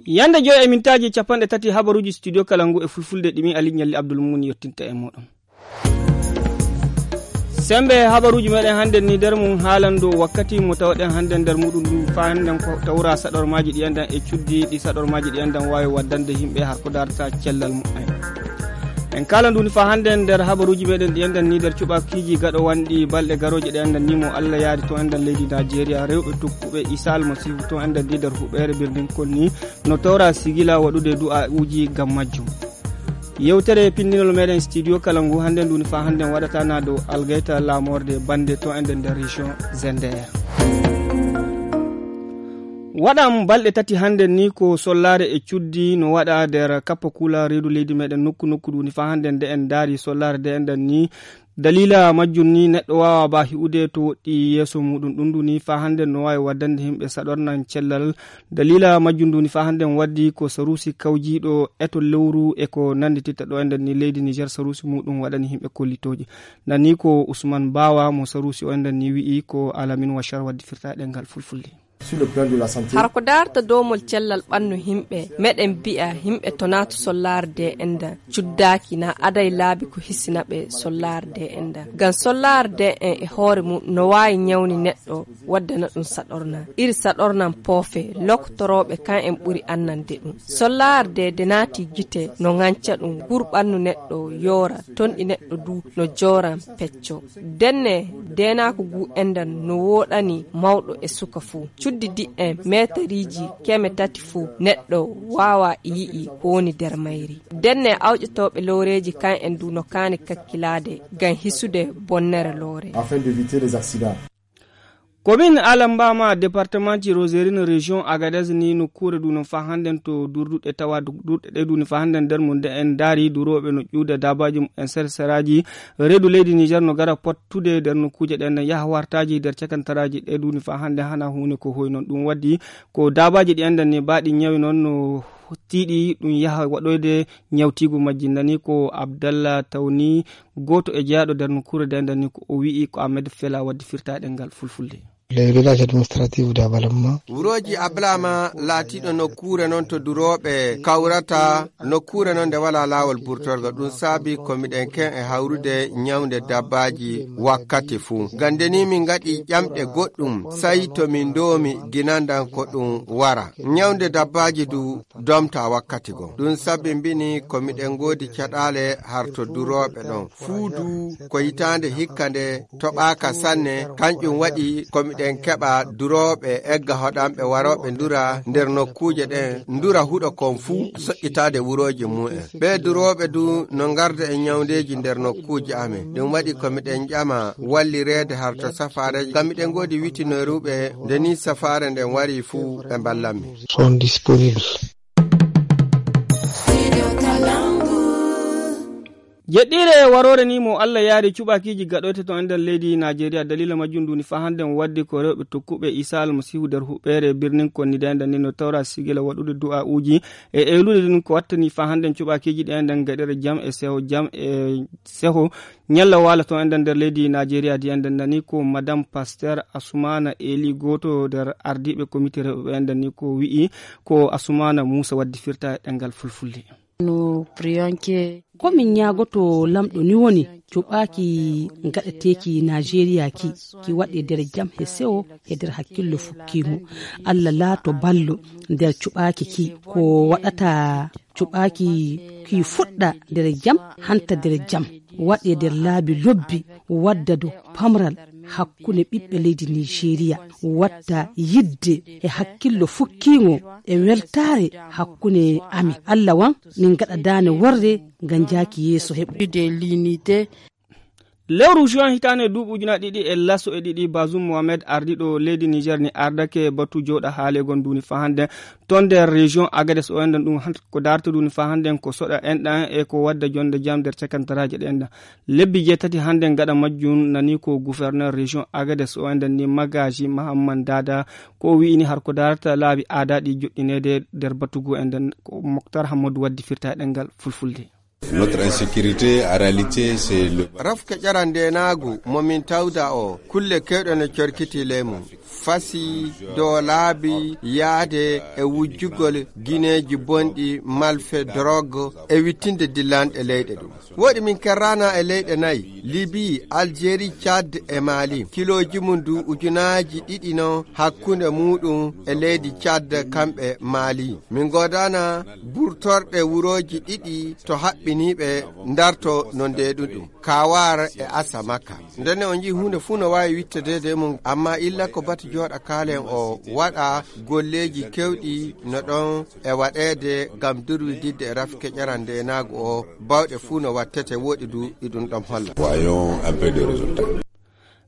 Yanda joy e mintaji 30 habaruji studio Kalangu e fulfulde dimi Ali Nyalli Abdul Muni yottinta e modon. Sembe habaruji meden hande ni der mun haalando wakkati mo tawden hande der mudum du faanden ko tawra sadormaji di andan e cuddi di sadormaji di andan wawi waddande himbe har ko darta cellal mudden. En kala nduni fa hande der habaruji meden di andan ni der cubakiji gado wandi balde garoje de andan nimo Allah yaadi to andan leydi Nigeria rewbe tukkube isal masifu to andan di der hubere birdin konni no tawra sigila wadude du'a uji gam majjum. Yewtere pinnol meden studio Kalangu hande nduni fa hande wadata na do algaita la morde bande to enden der region Zender. Wadam balde tati hande ni ko sollare e cuddi no wada der kappa kula redu leydi meden nokku duni fa hande de en dari sollare de enden ni dalila majjun ni neddo wawa ba hiude to di yeso mudun dunduni fa hande no wawi waddande himbe sadornan cellal dalila majjun duni fa hande waddi ko sarusi kawjido eto lewru e ko nanditita do enden ni leydi Niger sarusi mudun wadani himbe kollitoji nani ko Usman Bawa mo sarusi o enden ni wi ko alamin wa shar waddi firta dengal fulfulde. Sur le plan de la santé, har ko darta domol cellal bannu himbe meden bi'a himbe tonatu sollarde enda cuddaki na aday laabi ko hissinabe sollarde enda gan sollarde e hoore mu no wayi nyawni neddo waddana dum sadorna iri sadornan pofe loktorobe kan en buri annande dum sollarde de nati gite no nganca dum gurbannu neddo yora ton di neddo du no joran pecco denne dena ko gu endan no wodani mawdo e suka fu cuddi di en meteriji keme tati fu neddo wawa yi'i ko woni der mayri denne awjetobe loreji kan en du no kani kakkilade gan hisude bonnere lore afin d'éviter les accidents. Commune Alambama département ci Roserine région Agadez ni no kure du no fa handen to durdude tawa durdude du no fa handen der mun de en dari durobe no juude dabaji en serseraji redu leydi Niger no gara pottude der no kuje den yaha wartaji der cakantaraji de du no fa hande hana hune ko hoy non dum waddi ko dabaji di enden ni baadi nyawi non no tiidi dum yaha wadoyde nyawtigu majjindani ko Abdallah Tawni goto e jaado der no kure den ni ko o wi ko Ahmed Fela waddi firtaade ngal fulfulde. Les villages administratifs d'Abalama. Wuroji Ablama latiɗo nokkure non to duroɓe kawrata nokkure non de wala lawol burtorgo ɗum saabi komiɗen ken e hawrude nyawde dabbaji wakkati fuu gandeni min gaɗi ƴamɗe goɗɗum sai to min domi ginandan ko ɗum wara nyawde dabbaji du domta wakkati go ɗum sabbi mbini komiɗen godi caɗale har to duroɓe ɗon fuudu ko hitande hikkande toɓaka sanne kanƴum waɗi den keɓa duroɓe egga hoɗamɓe waroɓe ndura nder nokkuje ɗen ndura huɗo kon fuu soƴƴitade wuroji mu'en ɓe duroɓe du no garda e nyawdeji nder nokkuje amen ɗum waɗi komiɗen ƴama wallirede har to safare ngam miɗen godi witinoruɓe ndeni safare nden wari fuu ɓe ballanmi sont disponibles. Jedire warore ni mo Allah yaari cubakiji gadote to andal leydi Nigeria dalila majjum duni fa handen waddi ko rewbe tokkube Isa al-Masihu der hubere birnin konni danda ni no tawra sigila wadude du'a uji e elude dun ko wattani fa handen cubakiji de andan gadere jam e seho nyalla wala to andan der leydi Nigeria di andan ni ko madame pasteur Asumana Eli goto der ardibe comité rewbe andan ni ko wi'i ko Asumana Musa waddi firta dengal fulfulde. No priyanke komin yagoto lamdo ni woni cubaki gadeteki Nigeria ki wade der jam he sewo e der hakkillo fukkimo Allah lato ballo der cubaki ki ko wadata cubaki ki fudda der jam hanta der jam wade der laabi lobbi wadda do pamral hakkunde ɓiɓɓe leydi Nigeria watta yidde e hakkillo fukkimo e weltare hakkunde ami Allah wan min gaɗa dane worde ngam jaaki yeso heɓude l'unité. Lewru juin hitane duɓujuna ɗiɗi e lasso e ɗiɗi Bazoum Mohamed ardiɗo leydi Niger ni ardake batu joɗa haale gon duni fa hande ton nder région Agadez o enden ɗum ko darta duni fa hande ko soɗa enɗan e ko wadda jonde jam nder cakantaraje ɗenɗan lebbi jeetati hande gaɗa majjum nani ko gouverneur région Agadez o enden ni Magaji Mahamman Dada ko wi'ini har ko darta laabi aada ɗi joɗɗinede nder batugo enden ko Mokhtar Hamadou waddi firta ɗengal fulfulde. Notre insécurité, en réalité, c'est le... Rafka ƴarande naagu momin tawda o kulle kewɗe no corkiti leymu fasi dow laabi yaade e wujjugol guineji bonɗi malfe drogue e wittinde dillanɗe leyɗe ɗum. Woɗi min kerrana e leyɗe nayyi Libye, Algérie, Tchad e Mali. Kiloji mum du ujunaji ɗiɗi no hakkunde muɗum e leydi Tchad kamɓe Mali. Min godana burtorɗe wuroji ɗiɗi to haɓɓiniɓe darto no ndeɗuɗum Kawar e Asamaka. Ndenne on ji hunde fu no wawi wittedede mum amma illa ko bati joɗa kalen o waɗa golleji kewɗi no ɗon e waɗede gam durwididde e rafike ƴarande naago o bawɗe fu no wattete woɗi du iɗum ɗon holla. Voyons un peu de résultats.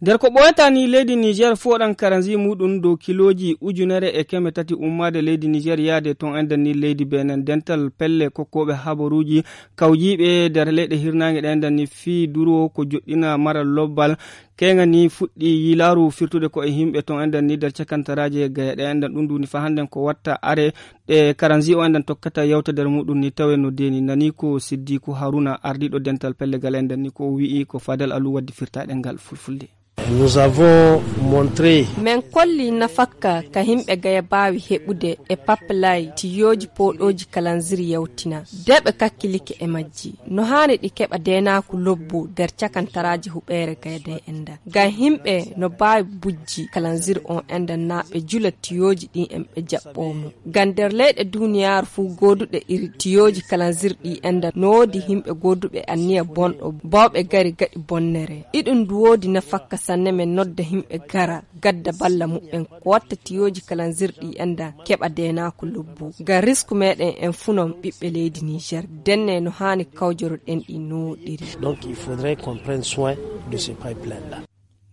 nder ko ɓoyatani leydi niger foɗan karanzi muɗum dow kiloji 1,300 ummade leydi niger yaade ton enden ni leydi benin dental pelle kokkoɓe habaruji kawjiɓe nder leyɗe hirnage ɗe enden ni fi duro ko joɗɗina maral lobbal kenga ni fuɗɗi yilaru firtude ko e himɓe ton enden ni nder cakantaraje gayaɗe enden ɗum duni fa handen ko watta are ɗe karanzi o enden tokkata yawtadere muɗum ni tawe no deni nani ko siddiku haruna ardiɗo dental pelle gal enden ni ko wi'i ko fadal alu waddi firtaɗe ngal fulfulde. Nous avons montré men kolli nafakka ka himɓe gaya bawi heɓude e paplay tiyoji poɗoji kalanziri yawtina deɓe kakkilike e majji no hani ɗi keɓa denaku lobbu nder cakantaraji huɓere gayda enda ngam himɓe no bawi bujji kalanziri on enda na ɓe jula tiyoji ɗin en ɓe jaɓɓomo ngam nder leyɗe duniyaru fu goduɗe iri tiyoji kalanziri ɗi enda no wodi himɓe goduɓe anniya bonɗo bawɓe gari gaɗi bonnere iɗum du wodi nafakka sanne men nodda himɓe gara gadda balla muɓɓen ko watta tiyoji kalanzirɗi enda keɓa denako lobbu ngam risque meɗen en funon ɓiɓɓe leydi Niger denne no hani kawjoroɗen ɗi noɗiri. Donc il faudrait qu'on prenne soin de ces pipelines là.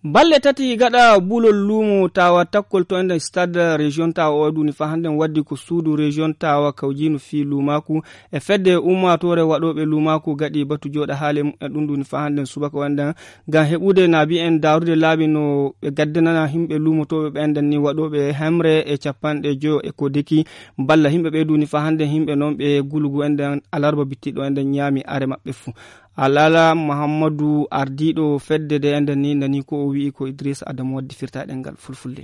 balle tati gaɗa bulol lumo tawa takkol to enden stade région tawa o duni fa handen waddi ko suudu région tawa kawjinu fi lumaku e fedde ummatore waɗoɓe lumaku gaɗi batu joɗa haale e ɗum duni fa handen subaka wanden ngam heɓude naabi en darude laabi no ɓe gaddanana himɓe lumotoɓe ɓe enden ni waɗoɓe hemre e capanɗe joyo e ko deki balla himɓe ɓe duni fa handen himɓe noon ɓe gulugu enden alarba bittiɗo enden ñaami are maɓɓe fuu alala Muhammadu ardiɗo fedde de enden ni nani ko o wi'i ko Idrissa Adamu waddi firtaɗe ngal fulfulde.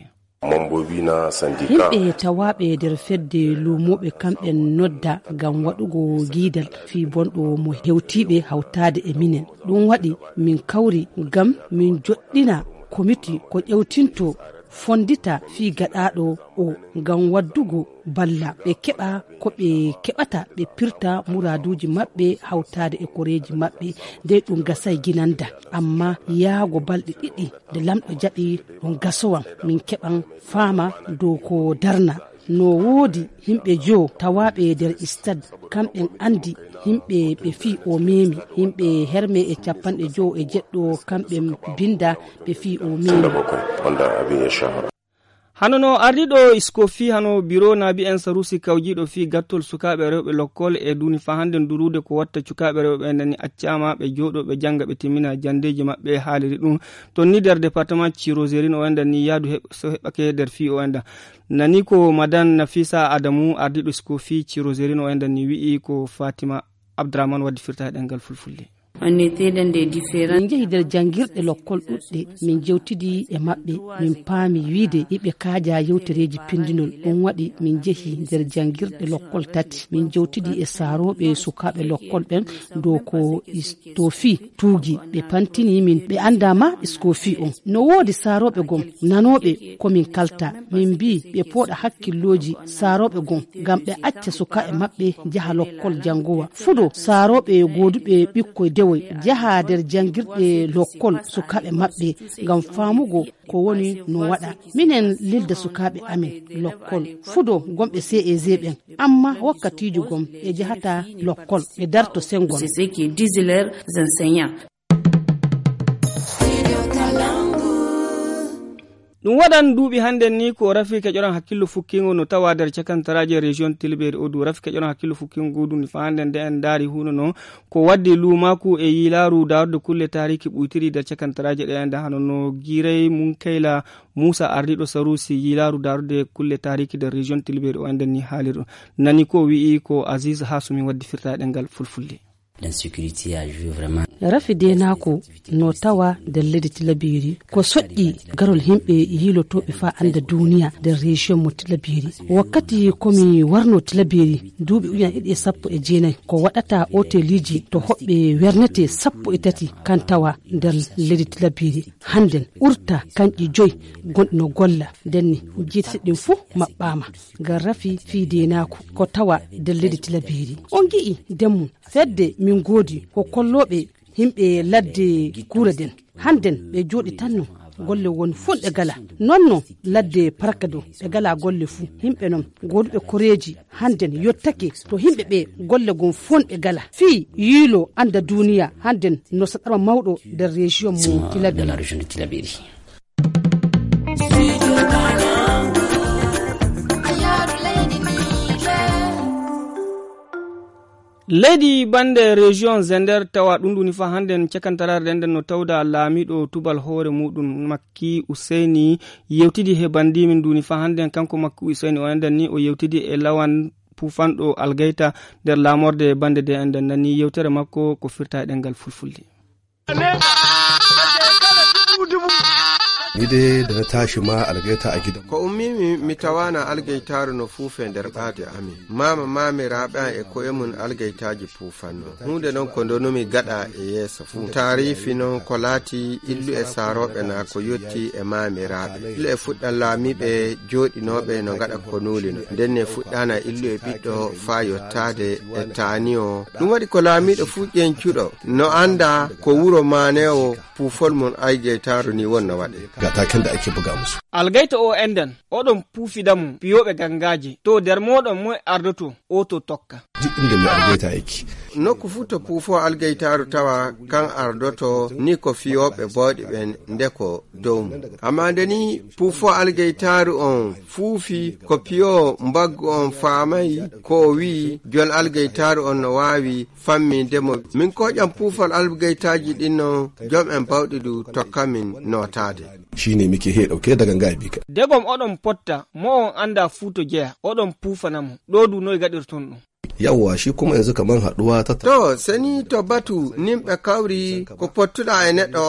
himɓe tawaɓe nder fedde lumoɓe kamɓen nodda gam waɗugo guidal fi bonɗo mo hewtiɓe hawtade e minen ɗum waɗi min kawri gam min joɗɗina komiti ko ƴewtinto fondita fi gaɗaɗo o gam waddugo balla ɓe keɓa ko ɓe keɓata ɓe pirta muraduji maɓɓe hawtade e koreji maɓɓe nde ɗum gasay ginanda amma yaago balɗe ɗiɗi nde lamɗo jaɓi ɗum gasowan min keɓan faama dow ko darna no woodi himɓe jo tawaɓe nder stade kamɓen andi himɓe ɓe fi o memi himɓe herme e 50 kamɓe binda ɓe fi o memi hanono ardiɗo iskofi hano biro naabi en sarusi kawjiɗo fi gattol sukaɓe rewɓe lokkol e duni fa handen durude ko watta cukaɓe rewɓe nani accama ɓe joɗo ɓe janga ɓe timmina jandeji maɓɓe haaliri ɗum to ni nder département Cirozérine o enda ni yaadu so heɓake nder fi o enda nani ko madame Nafisa Adamu ardiɗo iskofi Cirozérine o enda ni wi'i ko Fatima Abdraman waddi firtaɗe ngal fulfulde. min jehi nder jangirɗe lokkol ɗuɗɗe min jewtidi e maɓɓe min paami wiide yiɓe kaaja yewtereji pindinol ɗum waɗi min jehi nder jangirɗe lokkol tati min jewtidi e saaroɓe sukaɓe lokkol ɓen dow ko istofi tuugi ɓe pantini min ɓe andama iskofi on no woodi saaroɓe gon nanoɓe komin kalta min mbi ɓe pooɗa hakkilloji saaroɓe gon ngam ɓe acca sukaɓe maɓɓe jaha lokkol jangowa fuɗo saaroɓe goduɓe ɓikkoy jaha nder jangirɗe lokkol sukaɓe maɓɓe ngam famugo ko woni no waɗa minen lilda sukaɓe amin lokkol fudo gomɓe CEG ɓen amma wakkatijo gom e jahata lokkol ɓe darto sengol. C'est ce qui disent leurs enseignants. ɗum waɗan duuɓi hannden ni ko rafi keƴoran hakkillo fukkingo no tawa nder cakantaraji région tilɓeri o du rafi keƴoran hakkillo fukkingo du ni fa hannden nde en daari huno noon ko waddi lumaku e yilaru darde kulle tariki ɓuytiri nder cakantaraji ɗe ende hano no guiray munkayla Moussa ardiɗo sarusi yilaru darude kulle tariki nder région tilɓeri o enden ni haaliru nani ko wi'i ko Aziz Hasumi waddi firtaɗe ngal fulfulde. L'insécurité a joué vraiment. Rafide nako no tawa da ledi tilabiri ko soddi garol himbe yilotobe fa anda duniya da region mo tilabiri wakkati komi warno tilabiri duubi uyan ide sappo e jeenay ko wadata hoteliji to hobbe wernete sappo e tati kan tawa der ledi tilabiri handen urta kanji joy gondno golla denni jiti din fu mabbama ga rafi fide nako ko tawa der ledi tilabiri on gi'i demmu fedde min godi ko kollobe himɓe ladde kuura den handen ɓe jooɗi tanno golle won fulɓe gala nonno ladde parkado ɓe gala golle fuu himɓe non goduɓe koreji handen yottake to himɓe ɓe golle gon fonɓe gala fii yiilo anda duniya handen no saɗama mawɗo nder région mo Tilaberi. leydi bande région Zender tawa ɗum ɗuni fa handen cakantarare nden no tawda laamiɗo tubal hoore muɗum Makki Useni yewtidi he bandimin duni fa handen kanko Makki Useni o enden ni o yewtidi e lawan pufanɗo Algaita nder lamorde bande de enden nani yewtere makko ko firta e ɗengal fulfulde. Ni dai da na tashi ma Algaita a gidan. Ko ummi mi tawana Algaitaru no fufe nder ɓaade amin. Mama mamiraɓe an e ko'e mun Algaitaji pufanno. Hunde non ko ndonomi gaɗa e yeeso fu. Tarifi non ko laati illu e saroɓe na ko yotti e mamiraɓe. Illu e fuɗɗan laamiɓe joɗinoɓe no gaɗa ko nulino. Ndenne fuɗɗana illu e ɓiɗɗo fa yottade e taaniyo. Ɗum waɗi ko laamiɗo fu ƴencuɗo no anda ko wuro manewo pufol mun Algaitaru ni wonna waɗe. Taken da ake buga musu. Algaita o enden oɗon puufidamu piyoɓe gangaji to nder moɗon moy ardoto o to tokka. Duk inda mai Algaita yake. Nokku fu to puufo Algaitaru tawa kan ardoto ni ko fiyoɓe bawɗi ɓen ndeko dow mum. Amma ndeni puufo Algaitaru on fuufi ko piyo mbaggu on faamayi ko wi jol Algaitaru on no wawi fammindemo. Min koƴam puufol Algaitaji ɗinno jom en bawɗi du tokkamin notade. Shine muke he dauke da ganga bi ka. Degom odon potta mo on anda futo jeya odon pufanamo do du noy gadirton ɗum. Yawwa shi kuma yanzu kaman haduwa ta to sani to batu nimɓe kawri ko pottuɗa e neɗɗo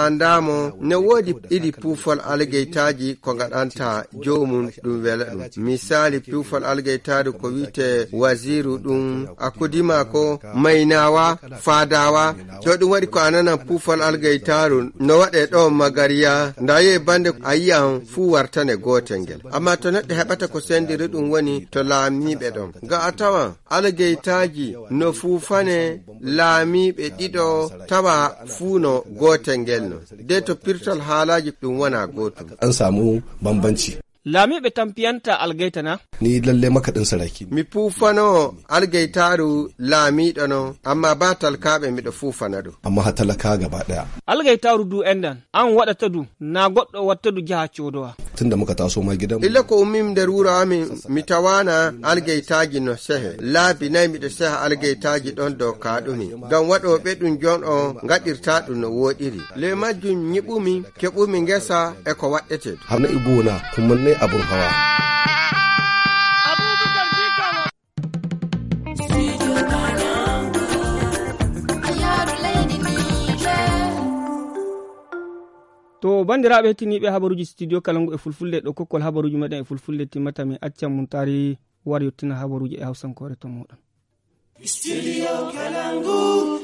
andamo ne woodi ɗiɗi puufol Algaitaji ko gaɗanta jomum ɗum wela ɗum. Misali puufol Algaitaru ko wite Waziru ɗum akudima ko Mainawa Fadawa to ɗum waɗi ko ananan puufol Algaitaru no waɗe ɗo Magariya ndaye bande a yi'an fuu wartane gotel ngel. Amma to neɗɗo heɓata ko sendiri ɗum woni to laamiɓe ɗon ga a tawan Algaitaji no fuufane laamiɓe ɗiɗo tawa fuuno gotel ngel no de to pirtol haalaji ɗum wona gotum. An samu bambanci. Laamiɓe tampiyanta Algaita na? Ni lalle makaɗin saraki. Mi puufano Algaitaru laamiɗo no amma ba talkaɓe miɗo fuufana ɗum. Amma ha talaka gaba ɗaya. Algaitaru du endan an waɗata du na goɗɗo watta du jaha codowa. Tunda muka taso ma gidan. Illa ko ummim nder wuro amin mi tawana Algaitaji no sehe. Laabi nayi miɗo seha Algaitaji ɗon dow kaɗumi. Ngam waɗoɓe ɗum jon o gaɗirta ɗum no woɗiri. Le majjum nyiɓumi keɓumi ngesa e ko waɗete. Hamna ibuna kuma ne abun hawa. to bandiraɓe hettiniɓe habaruji studio Kalangu e fulfulde ɗo kokkol habaruji meɗen e fulfulde timmata mi accan mum tari war yettina habaruji e hawsankore to moɗon. Studio Kalangu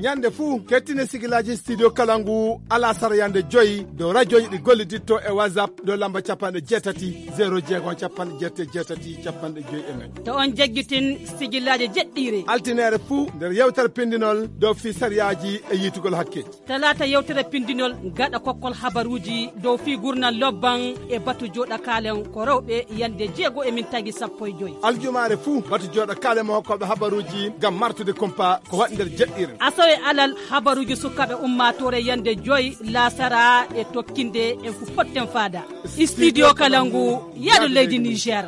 ñande fuu kettine sigilaji studio Kalangu ala sara yande joyi do radio ɗi golliditto e WhatsApp do lamba capanɗe jeetati 0 capanɗe jeetati capanɗe joyi e nayyi to on jaggitin sigilaji jeɗɗire altinere fuu nder yewtere pindinol dow fi sariyaji e yitugol hakke talata yewtere pindinol gaɗa kokkol habaruji dow fi gurnal lobban e batu joɗa kalen ko rewɓe yande 6 e min tagi 15 aljumare fuu batu joɗa kalen mo hokkoɓe habaruji gam martude kompa ko waɗi nder jeɗɗire e alal habaruji sukaɓe ummatore yande 5 lasara e tokkinde en fu potten fada studio Kalangu yaɗo leydi Niger.